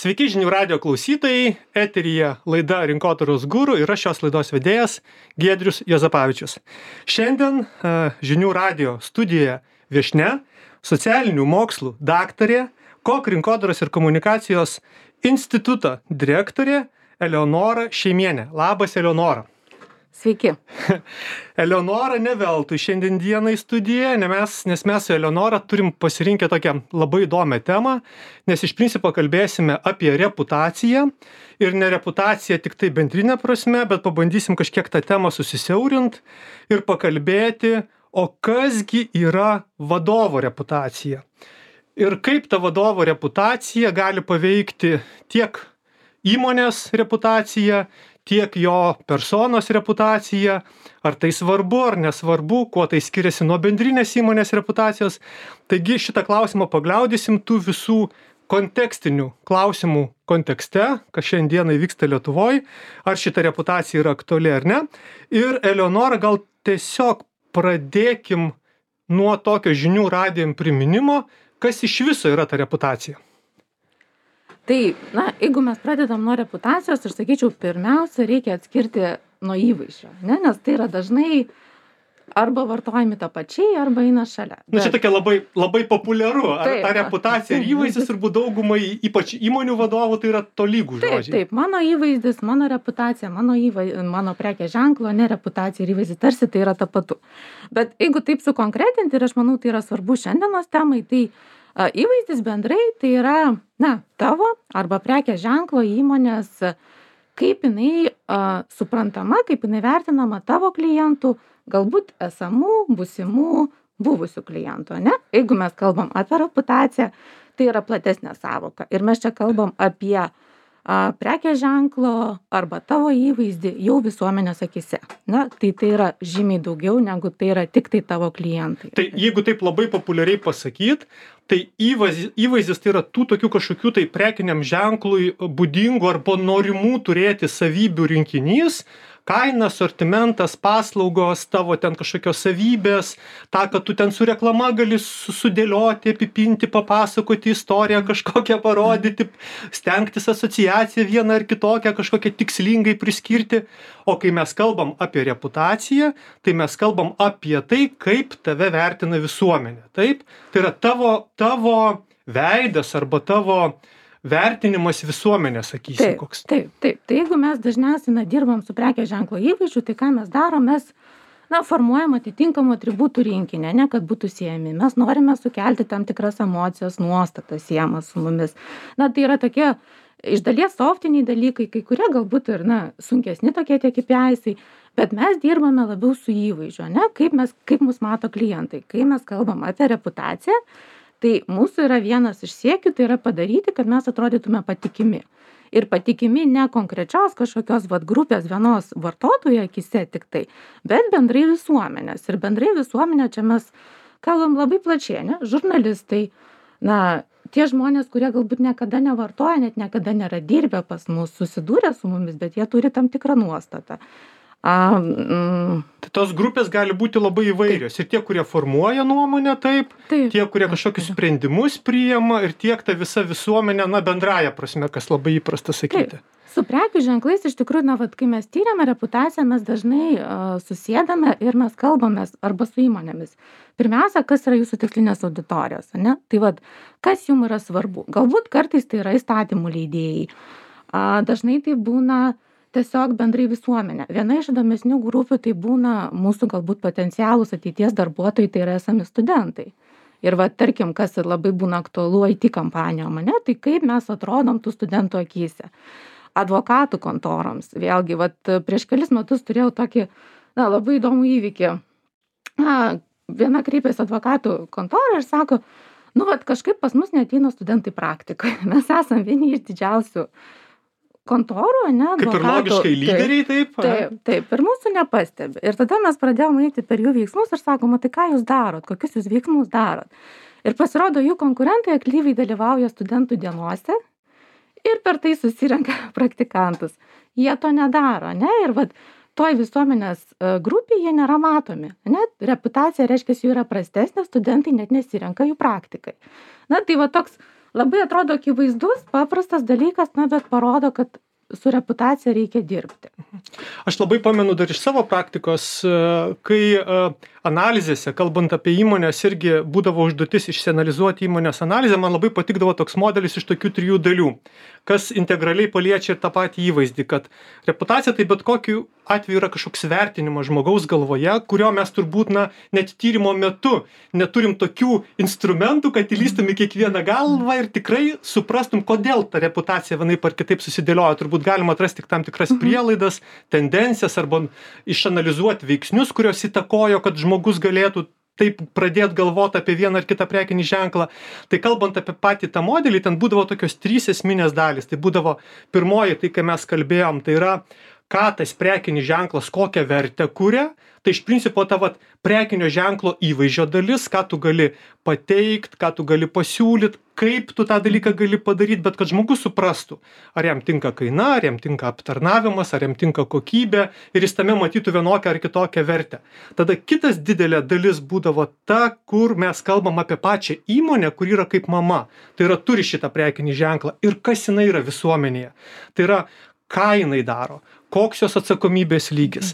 Sveiki žinių radio klausytojai, eteryje laida Rinkodaros guru ir aš šios laidos vedėjas Giedrius Juozapavičius. Šiandien žinių radio studijoje viešnia, socialinių mokslų daktarė, KOK rinkodaros ir komunikacijos instituto direktorė Eleonora Šeimienė. Labas, Eleonora. Sveiki. Eleonora ne veltui šiandien dienai studijoje, nes mes su Eleonora turim pasirinkę tokią labai įdomią temą, nes iš principo kalbėsime apie reputaciją ir ne reputaciją tik tai bendrinė prasme, bet pabandysim kažkiek tą temą susisiaurint ir pakalbėti, o kasgi yra vadovo reputacija. Ir kaip ta vadovo reputacija gali paveikti tiek įmonės reputaciją, tiek jo personos reputacija, ar tai svarbu, ar nesvarbu, kuo tai skiriasi nuo bendrinės įmonės reputacijos. Taigi šitą klausimą pagliaudysim tų visų kontekstinių klausimų kontekste, kas šiandieną vyksta Lietuvoje, ar šita reputacija yra aktuali ar ne. Ir Eleonora, gal tiesiog pradėkim nuo tokio žinių radijom priminimo, kas iš viso yra ta reputacija. Tai, jeigu mes pradedam nuo reputacijos, aš sakyčiau, pirmiausia, reikia atskirti nuo įvaizdžio, ne? Nes tai yra dažnai arba vartojami tapačiai, arba eina šalia. Čia tokia labai populiaru. Ar ta reputacija ir įvaizdis turbūt daugumai, ypač įmonių vadovų, tai yra tolygūs žodžiai. Taip, mano įvaizdis, mano reputacija, mano prekės ženklo, ne reputacija ir įvaizdis, tarsi tai yra tapatu. Bet jeigu taip sukonkretinti, ir aš manau, tai yra svarbu šiandienos temai, tai įvaizdis bendrai tai yra, tavo arba prekės ženklo įmonės, kaip jinai suprantama, kaip jinai vertinama tavo klientų, galbūt esamų, būsimų, buvusių klientų, ne? Jeigu mes kalbam apie reputaciją, tai yra platesnė sąvoka. Ir mes čia kalbam apie prekės ženklo arba tavo įvaizdį jau visuomenės akyse. Tai yra žymiai daugiau, negu tai yra tik tai tavo klientai. Tai jeigu taip labai populiariai pasakyt, tai įvaizdis tai yra tų tokių kažkokių tai prekiniam ženklui būdingų arba norimų turėti savybių rinkinys, kaina, sortimentas, paslaugos, tavo ten kažkokios savybės, tą, kad tu ten su reklama gali sudėlioti, apipinti, papasakoti istoriją, kažkokią parodyti, stengtis asociaciją vieną ar kitokią, kažkokią tikslingai priskirti. O kai mes kalbam apie reputaciją, tai mes kalbam apie tai, kaip tave vertina visuomenė. Taip? Tai yra tavo veidas arba tavo vertinimas visuomenės, sakysim, koks. Taip. Tai jeigu mes dažniausiai dirbam su prekės ženklo įvaizdžiu, tai ką mes darom, mes formuojam atitinkamų atributų rinkinį, ne kad būtų siejami. Mes norime sukelti tam tikras emocijas, nuostatas siejamas su mumis. Tai yra tokie iš dalies softiniai dalykai, kai kurie galbūt ir sunkesni tokie tie KPIs, bet mes dirbame labiau su įvaizdžiu, ne? Kaip mus mato klientai. Kai mes kalbam apie reputaciją, tai mūsų yra vienas iš siekių, tai yra padaryti, kad mes atrodytume patikimi. Ir patikimi ne konkrečios kažkokios grupės vienos vartotojų akyse tik tai, bet bendrai visuomenės. Ir bendrai visuomenė čia mes kalbam labai plačiai, ne? Žurnalistai, tie žmonės, kurie galbūt niekada nevartoja, net niekada nėra dirbę pas mus, susidūrę su mumis, bet jie turi tam tikrą nuostatą. Tai tos grupės gali būti labai įvairios. Ir tie, kurie formuoja nuomonę, taip, tie, kurie kažkokius sprendimus priima, ir tiek ta visa visuomenė, bendraja prasme, kas labai įprasta sakyti. Taip. Su prekių ženklais iš tikrųjų, kai mes tyrėme reputaciją, mes dažnai susėdame ir mes kalbamės arba su įmonėmis. Pirmiausia, kas yra jūsų tikslinės auditorijos, ne? Tai kas jums yra svarbu? Galbūt kartais tai yra įstatymų leidėjai. Dažnai tai būna tiesiog bendrai visuomenė. Viena iš įdomesnių grupių tai būna mūsų galbūt potencialūs ateities darbuotojai, tai yra esami studentai. Ir tarkim, kas labai būna aktualu IT kampanijom, ne? Tai kaip mes atrodom tų studentų akyse. Advokatų kontoroms. Vėlgi, prieš kelis metus turėjau tokį labai įdomų įvykį. Viena kreipėsi advokatų kontorą ir sako, kažkaip pas mus neateina studentai praktikoje. Mes esam vieni iš didžiausių kontorų, ne? Kaip ir logiškai lyderiai, taip? Taip, ir mūsų nepastebi. Ir tada mes pradėjome eiti per jų veiksmus ir sakoma, tai ką jūs darot, kokius jūs veiksmus darot. Ir pasirodo, jų konkurentai aktyviai dalyvauja studentų dienose ir per tai susirenka praktikantus. Jie to nedaro, ne? Ir toj visuomenės grupėje jie nėra matomi, ne? Reputacija reiškia, jų yra prastesnė, studentai net nesirenka jų praktikai. Tai toks labai atrodo akivaizdus, paprastas dalykas, na, bet parodo, kad su reputacija reikia dirbti. Aš labai pamenu dar iš savo praktikos, kai analizėse, kalbant apie įmonės, irgi būdavo užduotis išsianalizuoti įmonės analizę, man labai patikdavo toks modelis iš tokių 3 dalių, kas integraliai paliečia ir tą patį įvaizdį, kad reputacija tai bet kokiu atveju yra kažkoks vertinimas žmogaus galvoje, kurio mes turbūt, net tyrimo metu neturim tokių instrumentų, kad įlystum į kiekvieną galvą ir tikrai suprastum, kodėl ta reputacija vienaip ar kitaip susidėlioja. Turbūt galima atrasti tik tam tikras prielaidas, tendencijas arba išanalizuoti veiksnius, kurios įtakojo, kad žmogus galėtų taip pradėti galvoti apie vieną ar kitą prekinį ženklą. Tai kalbant apie patį tą modelį, ten būdavo tokios 3 esminės dalys. Tai būdavo pirmoji, tai kai mes kalbėjom, tai yra, ką tas prekinis ženklas, kokią vertę kuria. Tai iš principo ta prekinio ženklo įvaizdžio dalis, ką tu gali pateikt, ką tu gali pasiūlyt, kaip tu tą dalyką gali padaryti, bet kad žmogus suprastų, ar jam tinka kaina, ar jam tinka aptarnavimas, ar jam tinka kokybė ir jis tame matytų vienokią ar kitokią vertę. Tada kitas didelė dalis būdavo ta, kur mes kalbam apie pačią įmonę, kur yra kaip mama. Tai yra turi šitą prekinį ženklą ir kas jinai yra visuomenėje. Tai yra, ką jinai daro, koks jos atsakomybės lygis,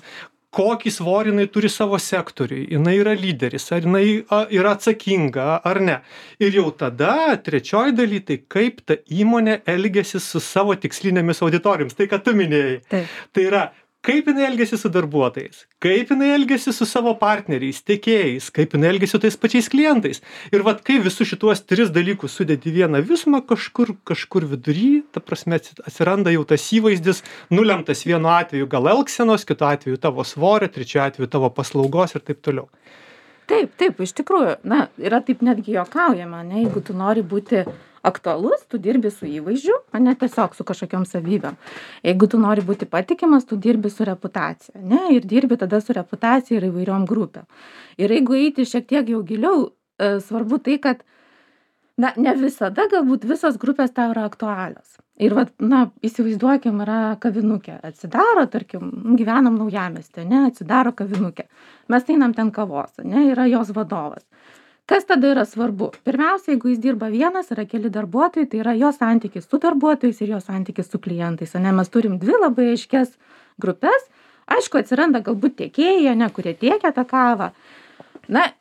kokį svorį jinai turi savo sektoriui, jinai yra lyderis, ar jinai yra atsakinga ar ne. Ir jau tada trečioji daly, tai kaip ta įmonė elgiasi su savo tikslinėmis auditorijomis. Tai, ką tu minėjai. Taip. Tai yra, kaip jinai elgiasi su darbuotojais, kaip jinai elgiasi su savo partneriais, tiekėjais, kaip jinai elgiasi su tais pačiais klientais. Ir kai visus šituos 3 dalykus sudėti vieną visumą, kažkur vidury, ta prasme, atsiranda jau tas įvaizdis, nulemtas vienu atveju gal elgsenos, kitu atveju tavo svorio, trečiu atveju tavo paslaugos ir taip toliau. Taip, iš tikrųjų, yra taip netgi juokaujama, ne, jeigu tu nori būti aktualus, tu dirbi su įvaizdžiu, o ne tiesiog su kažkokiom savybėm. Jeigu tu nori būti patikimas, tu dirbi su reputacija, ne, ir dirbi tada su reputacija ir įvairiom grupėm. Ir jeigu eiti šiek tiek jau giliau, svarbu tai, kad ne visada galbūt visos grupės tau yra aktualios. Ir įsivaizduokim, yra kavinukė, atsidaro, tarkim, gyvenam Naujamiestyje, ne, atsidaro kavinukė. Mes einam ten kavos, ne, yra jos vadovas. Kas tada yra svarbu? Pirmiausia, jeigu jis dirba vienas, yra keli darbuotojai, tai yra jo santykis su darbuotojais ir jo santykis su klientais. Ne, mes turim 2 labai aiškias grupės. Aišku, atsiranda galbūt tiekėjai, ne, kurie tiekia tą kavą.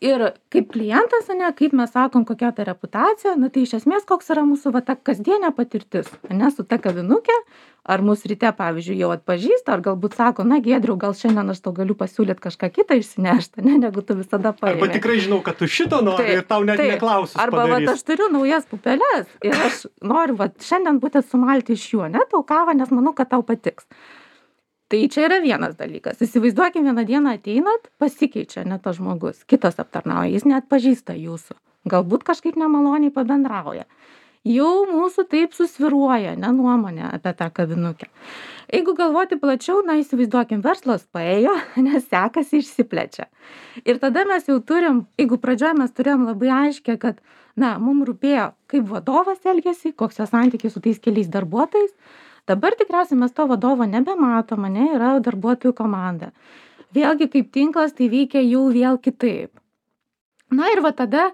Ir kaip klientas, ne, kaip mes sakom, kokia ta reputacija, tai iš esmės koks yra mūsų ta kasdienė patirtis, ne, su ta kavinukė, ar mūsų ryte, pavyzdžiui, jau atpažįsta, ar galbūt sako, Giedriau, gal šiandien aš tau galiu pasiūlyti kažką kitą išsinešti, ne, negu tu visada paėmė. Arba tikrai žinau, kad tu šito nori ir tau net neklausus padarys. Arba aš turiu naujas pupeles ir aš noriu šiandien būtent sumalti iš jų, ne, tau kavą, nes manau, kad tau patiks. Tai čia yra vienas dalykas. Įsivaizduokim, vieną dieną ateinat, pasikeičia ne tas žmogus, kitas aptarnauja, jis neatpažįsta jūsų. Galbūt kažkaip nemaloniai pabendrauja. Jau mūsų taip susviruoja, nuomonė apie tą kavinukę. Jeigu galvoti plačiau, įsivaizduokim, verslas paėjo, nes sekasi išsiplečia. Ir tada mes jau turim, jeigu pradžioje mes turėjom labai aiškę, kad, mums rūpėjo, kaip vadovas elgiasi, koks jo santykis su tais keliais darbuotojais. Dabar tikriausiai mes to vadovo nebematom, yra darbuotojų komanda. Vėlgi kaip tinklas tai veikia jau vėl kitaip. Ir tada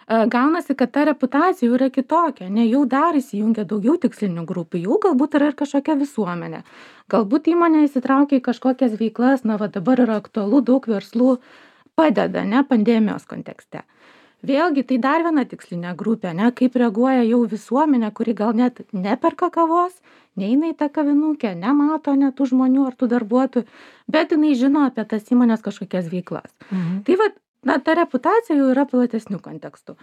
gaunasi, kad ta reputacija jau yra kitokia, jau dar įsijungia daugiau tikslinių grupių, jau galbūt yra ir kažkokia visuomenė. Galbūt įmonė įsitraukia į kažkokias veiklas, dabar yra aktualu, daug verslų padeda, pandemijos kontekste. Vėlgi, tai dar viena tikslinė grupė, kaip reaguoja jau visuomenė, kuri gal net neperka kavos, neina į tą kavinukę, nemato net tų žmonių ar tų darbuotojų, bet jinai žino apie tas įmonės kažkokias veiklas. Tai ta reputacija jau yra platesnių kontekstų.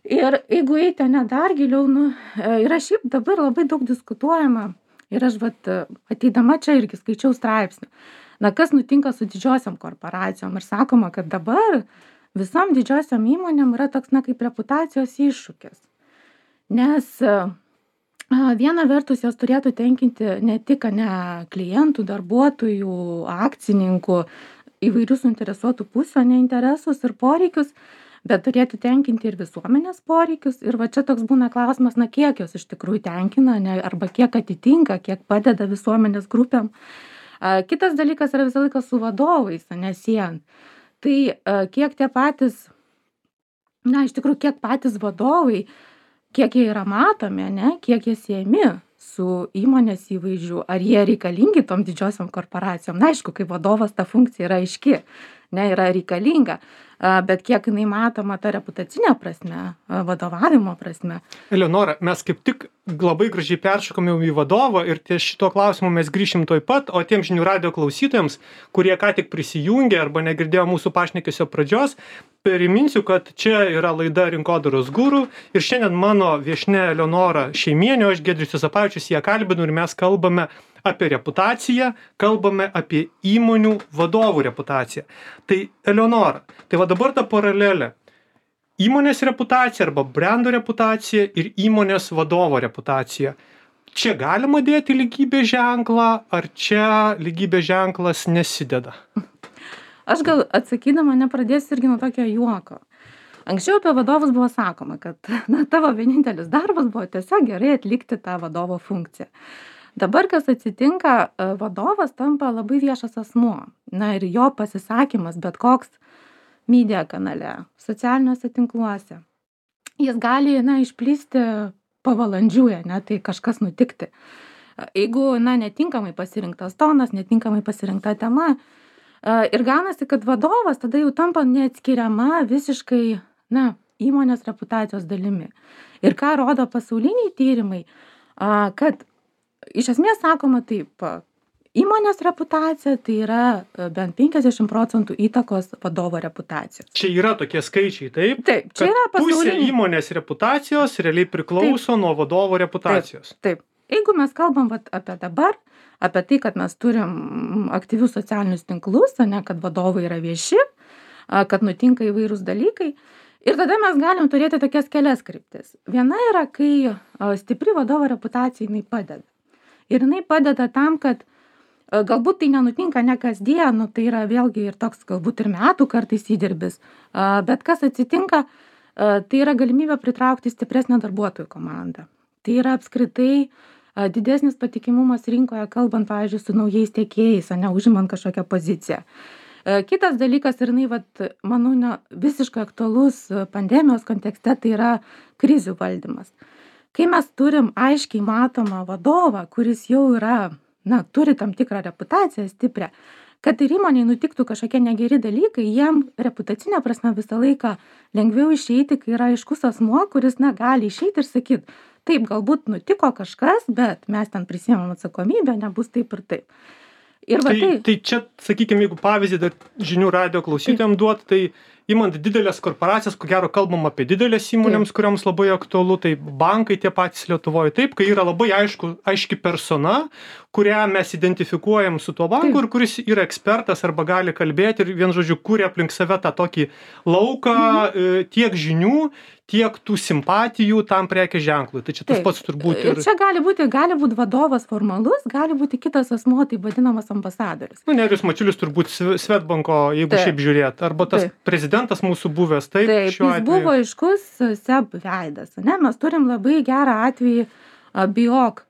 Ir jeigu eiti dar giliau, yra šiaip dabar labai daug diskutuojama. Ir aš ateidama čia irgi skaičiau straipsnių. Kas nutinka su didžiosiom korporacijom? Ir sakoma, kad dabar visom didžiosiom įmonėm yra toks, kaip reputacijos iššūkis. Nes viena vertus jos turėtų tenkinti ne tik klientų, darbuotojų, akcininkų, įvairių suinteresuotų pusių, interesus ir poreikius, bet turėtų tenkinti ir visuomenės poreikius. Ir čia toks būna klausimas, kiek jos iš tikrųjų tenkina, arba kiek atitinka, kiek padeda visuomenės grupėm. Kitas dalykas yra visą laiką su vadovais, siejant. Tai kiek tie patys, iš tikrųjų, kiek patys vadovai kiek jie yra matomi, ne, kiek jie siejami su įmonės įvaizdžiu, ar jie reikalingi tom didžiosiom korporacijom. Na, aišku, kai vadovas ta funkcija yra aiški, ne, yra reikalinga, bet kiek jinai matoma ta reputacinė prasme, vadovavimo prasme. Eleonora, mes kaip tik labai gražiai peršokame į vadovą ir ties šito klausimu mes grįšim tuoj pat, o tiem žinių radijo klausytojams, kurie ką tik prisijungė arba negirdėjo mūsų pašnekesio pradžios, priminsiu, kad čia yra laida Rinkodaros guru ir šiandien mano viešnia Eleonora Šeimienė, aš Giedrius Juozapavičius ją kalbinu ir mes kalbame apie reputaciją, kalbame apie įmonių vadovų reputaciją. Tai Eleonora, tai va dabar ta paralelė. Įmonės reputacija arba brendo reputacija ir įmonės vadovo reputacija. Čia galima dėti lygybės ženklą, ar čia lygybės ženklas nesideda? Aš gal atsakydama nepradėsiu irgi nuo tokio juoko. Anksčiau apie vadovus buvo sakoma, kad tavo vienintelis darbas buvo tiesiog gerai atlikti tą vadovo funkciją. Dabar, kas atsitinka, vadovas tampa labai viešas asmuo. Na ir jo pasisakymas, bet koks media kanale, socialiniuose tinkluose. Jis gali, išplisti pavalandžiuje, tai kažkas nutikti. Jeigu, netinkamai pasirinktas tonas, netinkamai pasirinkta tema. Ir gaunasi, kad vadovas tada jau tampa neatskiriama visiškai, įmonės reputacijos dalimi. Ir ką rodo pasauliniai tyrimai, kad iš esmės sakoma taip, įmonės reputacija tai yra bent 50% įtakos vadovo reputacijos. Čia yra tokie skaičiai, taip? Taip, čia yra pasauliniai. Pusė įmonės reputacijos realiai priklauso nuo vadovo reputacijos. Taip. Jeigu mes kalbam apie dabar, apie tai, kad mes turim aktyvius socialinius tinklus, kad vadovai yra vieši, kad nutinka įvairūs dalykai. Ir tada mes galim turėti tokias kelias kryptis. Viena yra, kai stipri vadovo reputacija jinai padeda. Ir jinai padeda tam, kad galbūt tai nenutinka ne kasdien, tai yra vėlgi ir toks galbūt ir metų kartais įdirbis. Bet kas atsitinka, tai yra galimybė pritraukti stipresnę darbuotojų komandą. Tai yra apskritai didesnis patikimumas rinkoje, kalbant, pavyzdžiui, su naujais tiekėjais, užimant kažkokią poziciją. Kitas dalykas ir manau, visiškai aktualus pandemijos kontekste, tai yra krizių valdymas. Kai mes turim aiškiai matomą vadovą, kuris jau yra, turi tam tikrą reputaciją stiprią, kad ir įmonėje nutiktų kažkokie negeri dalykai, jiem reputacinė prasme visą laiką lengviau išeiti, kai yra aiškus asmuo, kuris gali išeiti ir sakyti, taip, galbūt nutiko kažkas, bet mes ten prisiėmam atsakomybę, nebus taip ir taip. Ir tai čia, sakykime, jeigu pavyzdį dar žinių radijo klausytojams duot, tai imant didelės korporacijas, ko gero kalbam apie didelės įmonėms, kuriams labai aktualu, tai bankai tie patys Lietuvoje, taip, kai yra labai aiški persona, kurią mes identifikuojam su tuo banku ir kuris yra ekspertas arba gali kalbėti ir vien žodžiu kūrė aplink save tą tokį lauką tiek žinių, tiek tų simpatijų tam prekės ženklui. Tai čia tas pats turbūt ir čia gali būti vadovas formalus, gali būti kitas asmuo, tai vadinamas ambasadorius. Nerijus Mačiulis turbūt Swedbanko, jeigu šiaip žiūrėt, arba tas prezidentas mūsų buvęs, taip, šiuo atveju. Jis buvo aiškus SEB veidas, mes turim labai gerą atvejį BIOK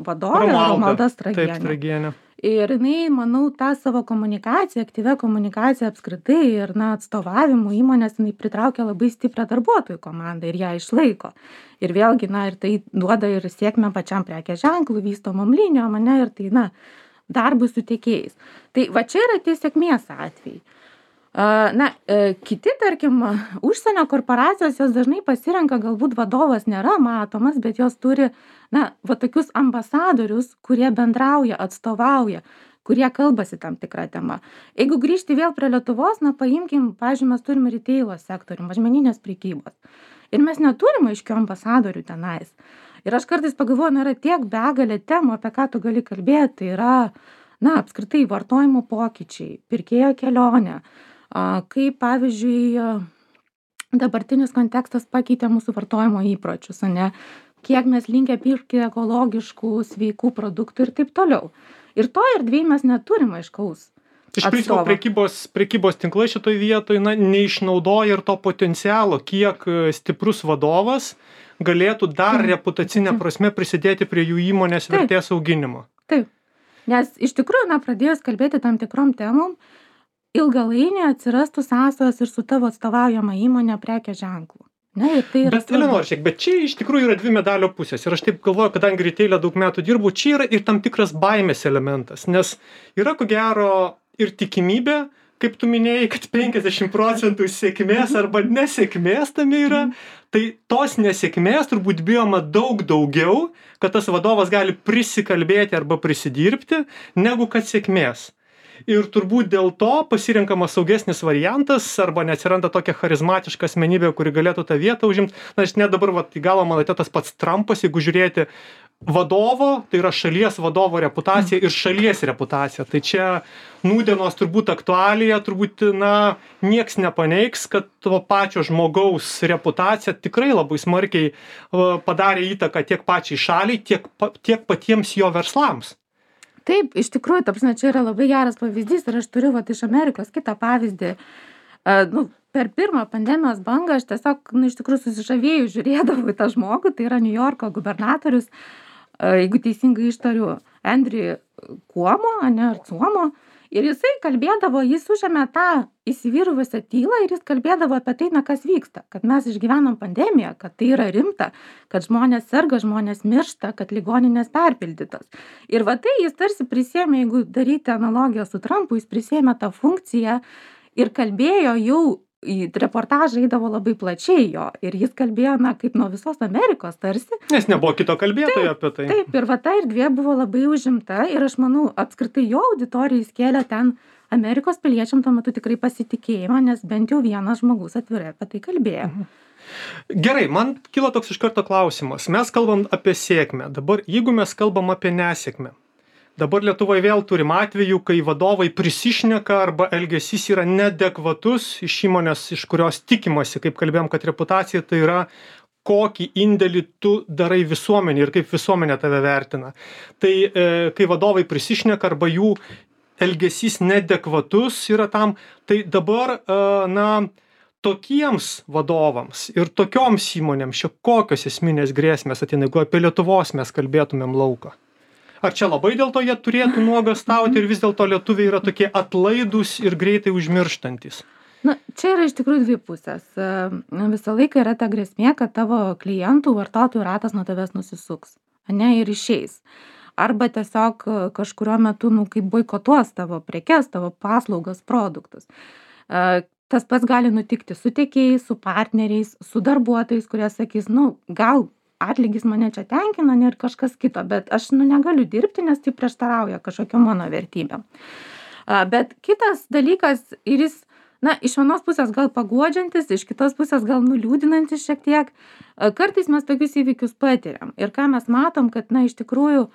vadovė Romalda Stragienė. Taip, Stragienė. Ir jinai, manau, tą savo komunikaciją, aktyvę komunikaciją apskritai ir atstovavimų įmonės, jinai pritraukia labai stiprią darbuotojų komandą ir ją išlaiko. Ir vėlgi, ir tai duoda ir sėkmę pačiam prekės ženklui, vystomom linijom, ir tai, darbui su tiekėjais. Tai va čia yra tie sėkmės atvejai. Kiti, tarkim, užsienio korporacijos, jos dažnai pasirenka, galbūt vadovas nėra matomas, bet jos turi, tokius ambasadorius, kurie bendrauja, atstovauja, kurie kalbasi tam tikrą temą. Jeigu grįžti vėl prie Lietuvos, paimkim, pavyzdžiui, mes turim retailo sektorių, mažmeninės prekybos. Ir mes neturim aiškių ambasadorių tenais. Ir aš kartais pagalvoju, yra tiek begalė temų, apie ką tu gali kalbėti, tai yra, apskritai vartojimo pokyčiai, pirkėjo kelionė. Kaip, pavyzdžiui, dabartinis kontekstas pakeitė mūsų vartojimo įpročius, kiek mes linkę pirkti ekologiškų, sveikų produktų ir taip toliau. Ir to erdvėj mes neturim aiškaus Iš principo prekybos tinklai šitoj vietoj neišnaudoja ir to potencialo, kiek stiprus vadovas galėtų dar reputacinę prasme prisidėti prie jų įmonės vertės auginimo. Taip, nes iš tikrųjų, pradėjus kalbėti tam tikrom temom, ilgalainiui atsirastų sąsajos ir su tavo atstovaujama įmonė prekės ženklu. Ne, ir tai yra Bet Eleonora, žiūrėk, bet čia iš tikrųjų yra dvi medalio pusės. Ir aš taip galvoju, kadangi retail'e daug metų dirbu, čia yra ir tam tikras baimės elementas. Nes yra ko gero ir tikimybė, kaip tu minėjai, kad 50% sėkmės arba nesėkmės tame yra. Tai tos nesėkmės turbūt bijoma daug daugiau, kad tas vadovas gali prisikalbėti arba prisidirbti, negu kad sėkmės. Ir turbūt dėl to pasirenkamas saugesnis variantas arba neatsiranda tokia charizmatiška asmenybė, kuri galėtų tą vietą užimti. Na, aš net dabar į galą man atėjo tas pats Trumpas, jeigu žiūrėti vadovo, tai yra šalies vadovo reputacija ir šalies reputacija. Tai čia nūdienos turbūt aktualija, turbūt, nieks nepaneigs, kad to pačio žmogaus reputacija tikrai labai smarkiai padarė įtaką tiek pačiai šaliai, tiek patiems jo verslams. Taip, iš tikrųjų, ta prasme, čia yra labai geras pavyzdys ir aš turiu iš Amerikos kitą pavyzdį. Per pirmą pandemijos bangą aš tiesiog, iš tikrųjų susižavėjau, žiūrėdavau į tą žmogų, tai yra New Yorko gubernatorius, jeigu teisingai ištariu, Andrew Cuomo, ar Cuomo. Ir jisai kalbėdavo, jis užėmė tą įsivyruvusią tylą ir jis kalbėdavo apie tai, kas vyksta, kad mes išgyvenam pandemiją, kad tai yra rimta, kad žmonės serga, žmonės miršta, kad ligoninės perpildytos. Ir tai jis tarsi prisėmė, jeigu daryti analogiją su Trumpu, jis prisėmė tą funkciją ir kalbėjo jau, į reportažą eidavo labai plačiai jo ir jis kalbėjo, kaip nuo visos Amerikos tarsi. Nes nebuvo kito kalbėtojo apie tai. Taip, ir ta erdvė buvo labai užimta ir aš manau, apskritai jo auditorijai skėlė ten Amerikos piliečiam tuo metu tikrai pasitikėjimą, nes bent jau vienas žmogus atvirai apie tai kalbėjo. Gerai, man kilo toks iš karto klausimas. Mes kalbam apie sėkmę. Dabar, jeigu mes kalbam apie nesėkmę, dabar Lietuvoje vėl turim atvejų, kai vadovai prisišneka arba elgesys yra neadekvatus iš įmonės, iš kurios tikimasi, kaip kalbėjom, kad reputacija tai yra, kokį indėlį tu darai visuomenį ir kaip visuomenė tave vertina. Tai kai vadovai prisišneka arba jų elgesys neadekvatus yra tam, tai dabar, tokiems vadovams ir tokioms įmonėms kokios esminės grėsmės ateina, jeigu apie Lietuvos mes kalbėtumėm lauką? Ar čia labai dėl to jie turėtų nuogąstauti ir vis dėlto lietuviai yra tokie atlaidūs ir greitai užmirštantis? Čia yra iš tikrųjų dvi pusės. Visą laiką yra ta grėsmė, kad tavo klientų, vartotojų ratas nuo tavęs nusisuks, ir išeis. Arba tiesiog kažkuriuo metu, kaip boikotuos tavo prekes, tavo paslaugas, produktus. Tas pats gali nutikti su tiekėjais, su partneriais, su darbuotojais, kurie sakys, gal atlygis mane čia tenkina ir kažkas kito, bet aš negaliu dirbti, nes tai prieštarauja kažkokiom mano vertybėm. Bet kitas dalykas ir jis, iš vienos pusės gal paguodžiantis, iš kitos pusės gal nuliūdinantis šiek tiek, kartais mes tokius įvykius patiriam. Ir ką mes matom, kad iš tikrųjų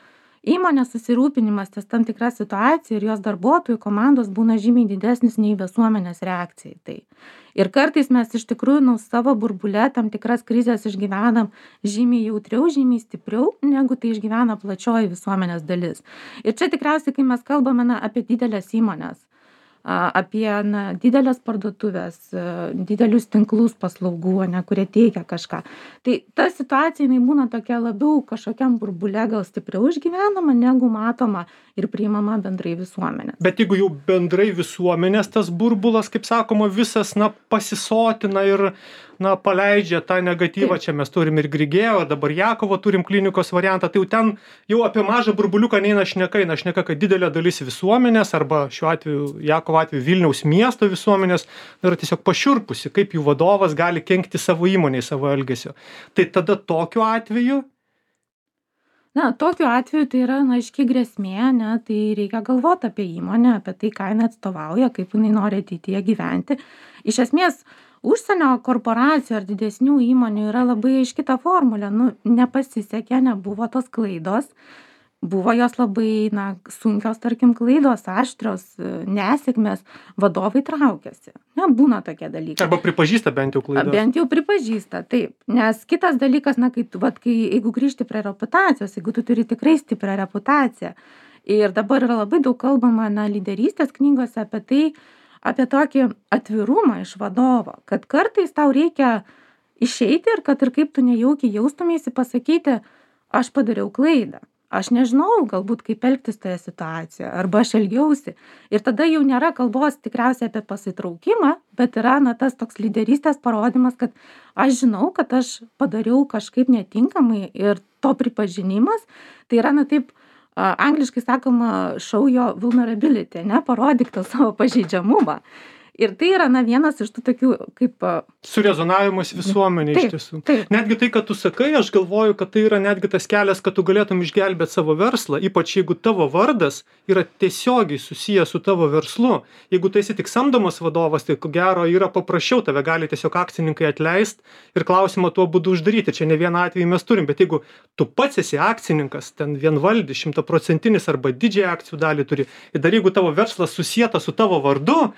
įmonės susirūpinimas ties tam tikra situacija ir jos darbuotojų komandos būna žymiai didesnis nei visuomenės reakcija į tai. Ir kartais mes iš tikrųjų savo burbule tam tikras krizės išgyvenam žymiai jautriau, žymiai stipriau, negu tai išgyvena plačioji visuomenės dalis. Ir čia tikriausiai, kai mes kalbame apie didelės įmonės, apie didelės parduotuvės, didelius tinklus paslaugų, kurie teikia kažką. Tai ta situacija būna tokia labiau kažkokiam burbule gal stipriau išgyvenama, negu matoma ir priimama bendrai visuomenės. Bet jeigu jau bendrai visuomenės tas burbulas, kaip sakoma, visas pasisotina ir paleidžia tą negatyvą, čia mes turim ir Grigėjo, dabar Jakovo turim klinikos variantą, tai jau ten jau apie mažą burbuliuką neina šneka, kad didelė dalis visuomenės arba šiuo atveju Jakovo atveju Vilniaus miesto visuomenės yra tiesiog pašiurpusi, kaip jų vadovas gali kenkti savo įmonei, savo elgesio. Tai tada tokiu atveju? Tokiu atveju tai yra aiški grėsmė, tai reikia galvoti apie įmonę, apie tai, ką jinai atstovauja, kaip jinai nori ateityje gyventi. Iš esmės, užsienio korporacijų ar didesnių įmonių yra labai aiški ta formulė. Nepasisekė, nebuvo tos klaidos. Buvo jos labai sunkios, tarkim, klaidos, aštrios, nesėkmės, vadovai traukiasi. Būna tokie dalykai. Arba pripažįsta bent jau klaidas. Bent jau pripažįsta, taip. Nes kitas dalykas, jeigu grįžti prie reputacijos, jeigu tu turi tikrai stiprią reputaciją. Ir dabar yra labai daug kalbama lyderystės knygose apie tai, apie tokį atvirumą iš vadovo, kad kartais tau reikia išeiti ir kad ir kaip tu nejaukiai jaustumėsi pasakyti, aš padariau klaidą. aš nežinau galbūt kaip elgtis toje situacijoje arba aš elgiausi. Ir tada jau nėra kalbos tikriausiai apie pasitraukimą, bet yra tas toks lyderystės parodymas, kad aš žinau, kad aš padariau kažkaip netinkamai ir to pripažinimas, tai yra taip, angliškai sakoma, show your vulnerability, parodyk tą savo pažeidžiamumą. Ir tai yra vienas iš tų tokių kaip... Surezonavimas visuomenė iš tiesų. Netgi tai, kad tu sakai, aš galvoju, kad tai yra netgi tas kelias, kad tu galėtum išgelbėti savo verslą, ypač jeigu tavo vardas yra tiesiogiai susijęs su tavo verslu. Jeigu tu esi tik samdomas vadovas, tai ko gero yra paprasčiau, tave gali tiesiog akcininkai atleisti ir klausimą tuo būdu uždaryti. Čia ne vieną atvejį mes turim, bet jeigu tu pats esi akcininkas, ten vienvaldis, 100% arba didžiąją akcijų dalį turi, ir dar jeigu tavo verslas susietas su tavo vardu,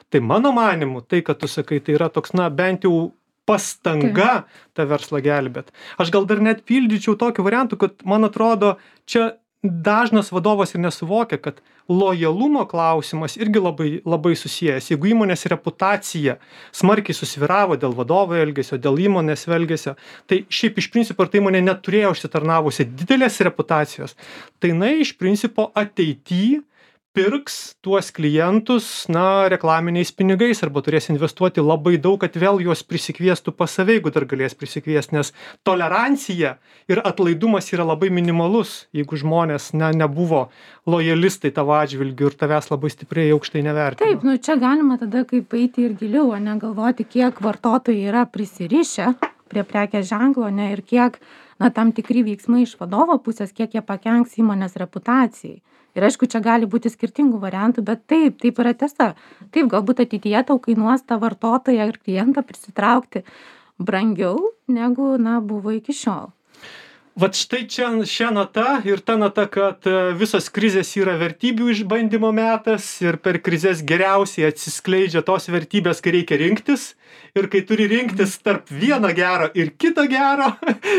tai mano manymu, tai, kad tu sakai, tai yra toks, bent jau pastanga tą verslą gelbėt. Aš gal dar net pildyčiau tokiu variantu, kad, man atrodo, čia dažnas vadovas ir nesuvokia, kad lojalumo klausimas irgi labai, labai susijęs. Jeigu įmonės reputacija smarkiai susvyravo dėl vadovo elgesio, dėl įmonės elgesio, tai šiaip iš principo, ar tai įmonė neturėjo užsitarnavusi didelės reputacijos, tai iš principo ateityje pirks tuos klientus, reklaminiais pinigais arba turės investuoti labai daug, kad vėl juos prisikviestų pas save, jeigu dar galės prisikviesti, nes tolerancija ir atlaidumas yra labai minimalus, jeigu žmonės nebuvo lojalistai tavo atžvilgiu ir tavęs labai stipriai aukštai nevertino. Taip, čia galima tada kaip eiti ir giliau, galvoti, kiek vartotojai yra prisirišę prie prekės ženklo, ir kiek tam tikri veiksmai iš vadovo pusės, kiek jie pakenks įmonės reputacijai. Ir aišku, čia gali būti skirtingų variantų, bet taip yra tiesa. Taip, galbūt ateityje tau kainuos tą vartotoją ir klientą prisitraukti brangiau, negu, buvo iki šiol. Vat štai čia šią nata ir ta nata, kad visos krizės yra vertybių išbandymo metas ir per krizės geriausiai atsiskleidžia tos vertybės, kai reikia rinktis. Ir kai turi rinktis tarp vieno gero ir kito gero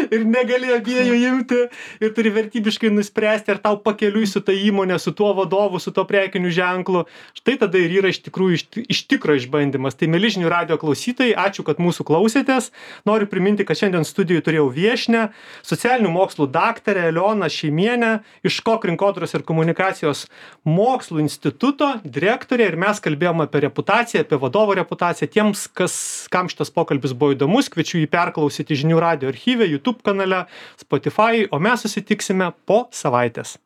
ir negali abiejų imti ir turi vertybiškai nuspręsti, ar tau pakeliui su ta įmonė, su tuo vadovu, su tuo prekiniu ženklu. Štai tada ir yra iš tikrųjų iš tikro išbandymas. Tai mieli žinių radijo klausytojai, ačiū, kad mūsų klausėtės. Noriu priminti, kad šiandien studijoje turėjau viešnią, socialinių mokslų daktarę Elioną Šeimienę iš KOK rinkodaros ir komunikacijos mokslų instituto direktorė ir mes kalbėjom apie reputaciją, apie vadovo reputaciją. Tiems, kam šitas pokalbis buvo įdomus, kviečiu jį perklausyti žinių radijo archyve, YouTube kanale, Spotify, o mes susitiksime po savaitės.